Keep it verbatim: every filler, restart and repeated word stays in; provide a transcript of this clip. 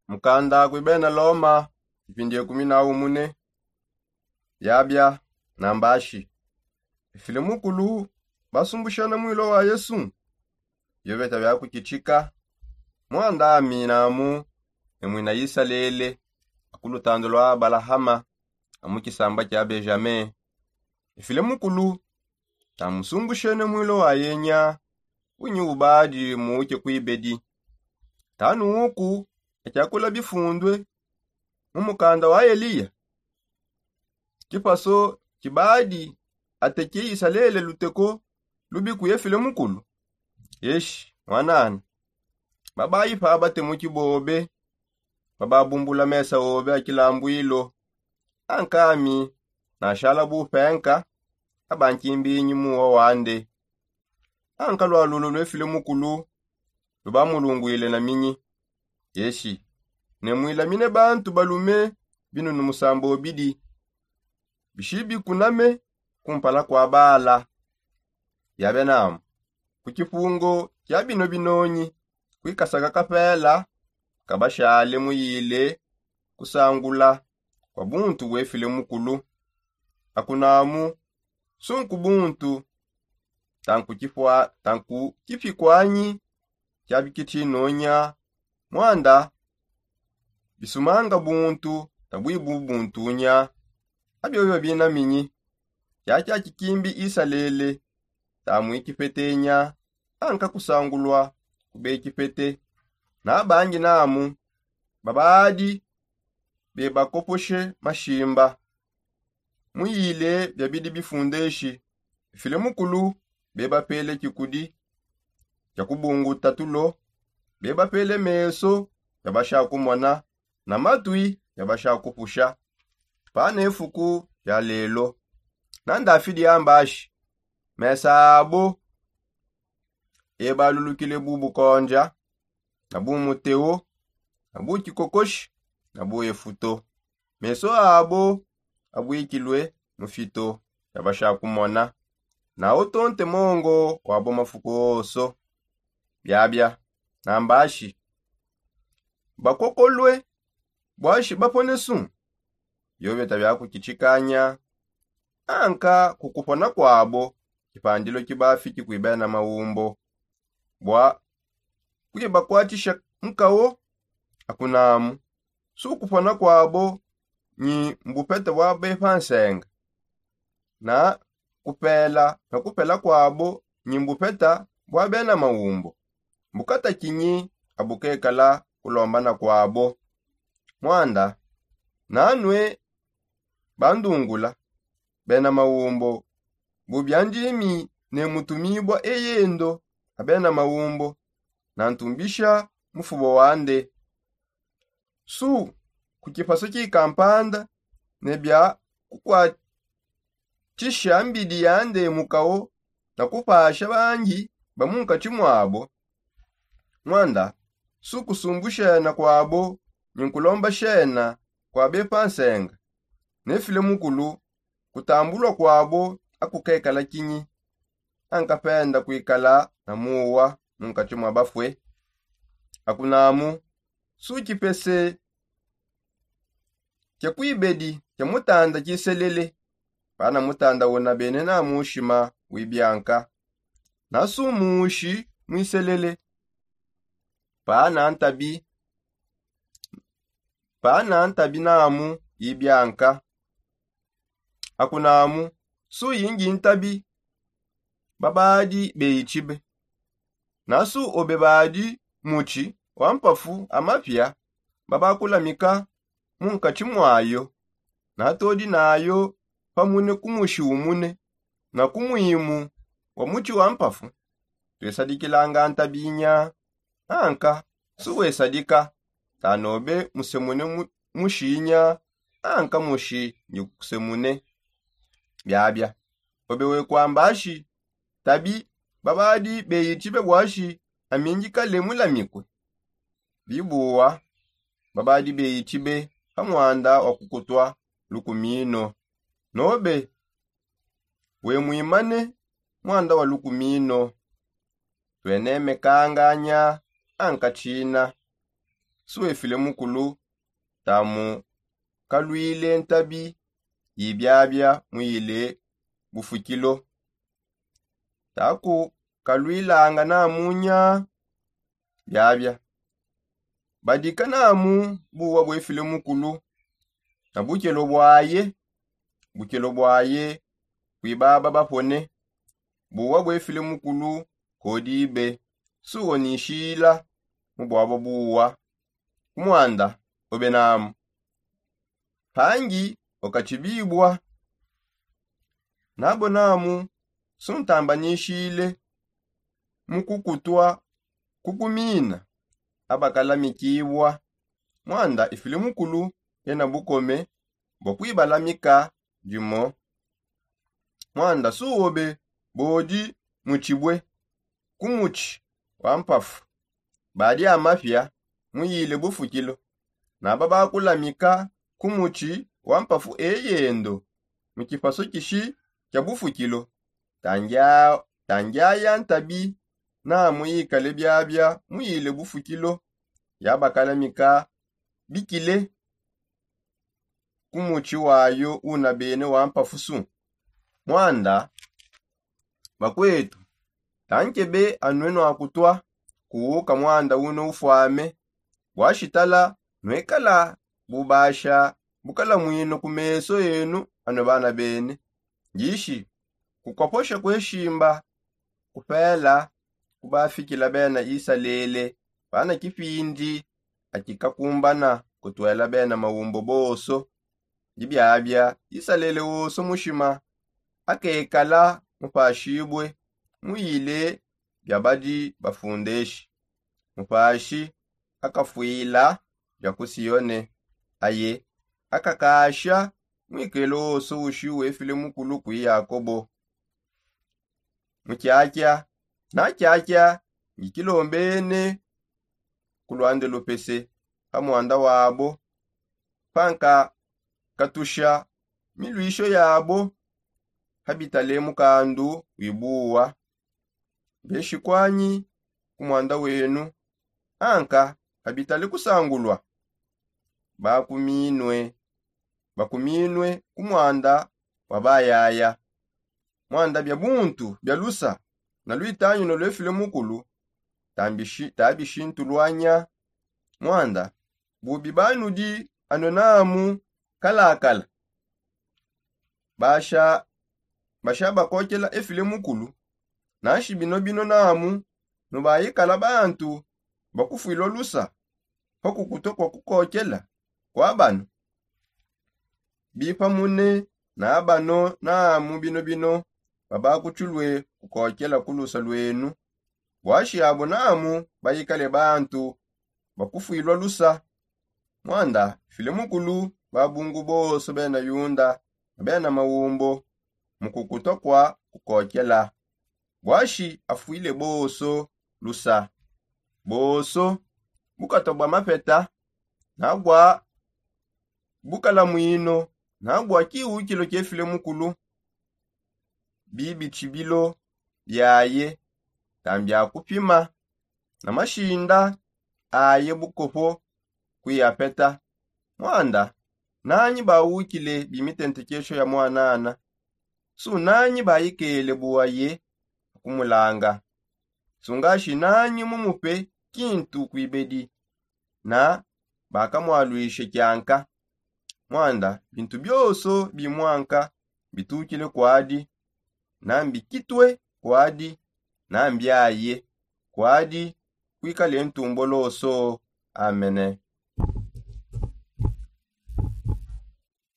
Mukanda kui bena loma, ipindi ekumi na umune. Biabia na mbashi, efile mukulu basumbushana mwilo wa yesu. Biobeta biakukichika, mwanda aminamu ne mwina isalele, akulutandu lwa abalahama, amu kisamba kia benjamin. Efile mukulu tamusumbushene mwilo wa yenya, kunyi ubadi muuke kuibedi. Tanu uku akyakula bifundwe mu mukanda wa eliya. Kipaso kibadi ateke isalele luteko lubi kuyefile mukulu. Yeshi mwanana, babayi pa batemuki bobe, bababumbula mesa obe akilambwilo. Ankami nashala bupenka abankimbinyi muwa wande. Anka lwalulo lwefile mukulu lubamulungwile na minyi. Yeshi, ne mwilamine bantu balume binunu musambo bidi, bishibikuname kumpala kwa bala. Biabe namu, ku kipungo kia bino binonyi kwikasaka kapela kabashale muyile kusangula kwa buntu bwefile mukulu. Akunamu sunku buntu tanku kipikwanyi kia bikitinonya. Mwanda bisumanga buntu tabwibu buntunya. Abiobio binaminyi, kiakia kikimbi isalele tamwikipetenya anka kusangulwa kubekipete. Nabangi namu babadi bebakoposhe mashimba muyile biabidi bifundeshi. File mukulu bebapele kikudi kia kubunguta tulo, bebapele meso yabasha kumona na matwi yabasha kupusha. Pana efuku ya lelo na ndafidi yambashi, mesa abo ebalulukile bu bukonja na bu muteo na bu kikokoshi na bu efuto. Meso abo abwikilwe mu fito yabasha kumona na utonte mongo wabo mafuku oso. Biabia na mbashi, bakokolwe bwashi bapone su. Biobeta biakukichikanya anka kukupona kwabo kipandilo kibafiki kuibena maumbo bwa kuibakwatisha nkawo. Akunamu su kupona kwabo nyi mbupeta bwa bepa nsenga na kupela na kupela kwabo nyi mbupeta bwa bena maumbo. Mbukata kinyi abukekala kulombana kwabo. Mwanda nanwe bandungula bena maumbo bubia ndimi ne mutumibwa eyendo abena maumbo na ntumbisha mufubo wande. Su ku kipaso kikampanda ne bia kukwatisha mbidi yande mukao na kupasha bangi ba munkati mwabo. Mwanda su kusumbushena kwabo nyi nkulombashena kwa bepa nsenga ne file mukulu kutambulwa kwabo akukekala kinyi. Ankapenda kuikala na muwa munkati mwa bafue. Akunamu su kipese kia kuibedi kia mutanda kiselele. Pana mutanda una bene na mushima wibianka na su mushi mwiselele. Pana ntabi pana ntabi namu yibianka. Akunamu su yingi ntabi babadi beyitshibe na su obe badi mutshi wa mpafu amapia babakulamika munkatshi mwayo. Natodi nayo pamune ku mushi umune na ku mwimu wa mutshi wa mpafu. Twesadikilanga ntabinya anka su wesadika tanobe musemune mushinya anka mushi ndi kukusemune. Biabia obe wekwambashi tabi babadi beyitshibe bwashi amindikale mulamikue. Bibuwa babadi beyitshibe pa mwanda wa kukutwa lukumino nobe wemwimane mwanda wa lukumino. Twenemekanganya ankatshina suwefile mukulu tamu kalwile ntabi yibyabya muyile bufukilo. Taku kalwilanga namunya byabya badika namu buwa bwefile mukulu na bukelo bwaye. Bukelo bwaye kwibaba bapone buwa bwefile mukulu kodibe suwo nishila mu bwabo buwa kumwanda obe namu pangi okachibibwa nabo namu suntambanishile mu kukutwa kukumina abakalamikibwa. Mwanda ifile mukulu ena bukome bwa kwibalamika dimo mwanda suwobe bodi muchibwe kumuchi wa mpafu badi amapya muyile bufukilo naba bakulamika kumuchi wa mpafu eyendo mu kipaso kishi kya bufukilo. Tangyaya ntabi namu yikale byabya muyile bufukilo yabakalamika bikile kumuchi wayo una bene wa mpafusu. Mwanda bakwetu tankebe anwe nwakutwa kuwuka mwanda uno ufwame bwashitala nwekala bubasha bukala mwino ku meso enu anwe bana bene. Ngishi kukwaposha kweshimba kupela kubafikila bena isalele bana kipindi akikakumbana kutwela bena maumbo boso. Ndibyabya isalele woso mushima akekala mupashibwe muyile byabadi bafundeshi mupashi akafwila bya ku sione aye akakasha mwikelo woso ushi wefile mukulu kwi yakobo. Mukyakya nakyakya ngikilombene ku lwande lupese pa mwanda wabo panka katusha milwisho yabo habitale mukandu wibuwa. Beshikwanyi ku mwanda wenu anka habitale kusangulwa bakuminwe bakuminwe ku mwanda wa bayaya. Mwanda bya buntu bya lusa na lwitanyino lwefile mukulu tabishintulwanya. Mwanda bubi banudi ano namu kalakala basha basha bakokela efile mukulu. Nanshi bino bino namu nubayikala bantu bakufwilwa lusa pa kukutwa kwa kukokela kwa bano bipamune na bano namu bino bino babakuchulwe kukokela ku lusa lwenu. Bwashi abo namu bayikale bantu bakufwilwa lusa. Mwanda file mukulu babungu boso bena yunda na bena maumbo mu kukutwa kwa kukokela bwashi afwile boso lusa boso bukatwa bwa mapeta na bwa bukalamwino na bwa kiwukilo kyefile mukulu. Bibi tshibilo byaye tambya kupima na mashinda aye bukopo kwi apeta. Mwanda nanyi bawukile bimitentekesho ya mwanana su nanyi bayikele buwaye kumulanga. Sungashi nanyi mumupe kintu kwibedi na bakamwalwishe kyanka. Mwanda bintu byoso bimwanka bitukile kwadi na mbikitwe kwadi na mbyaye kwadi kwikale ntumboloso. Amene.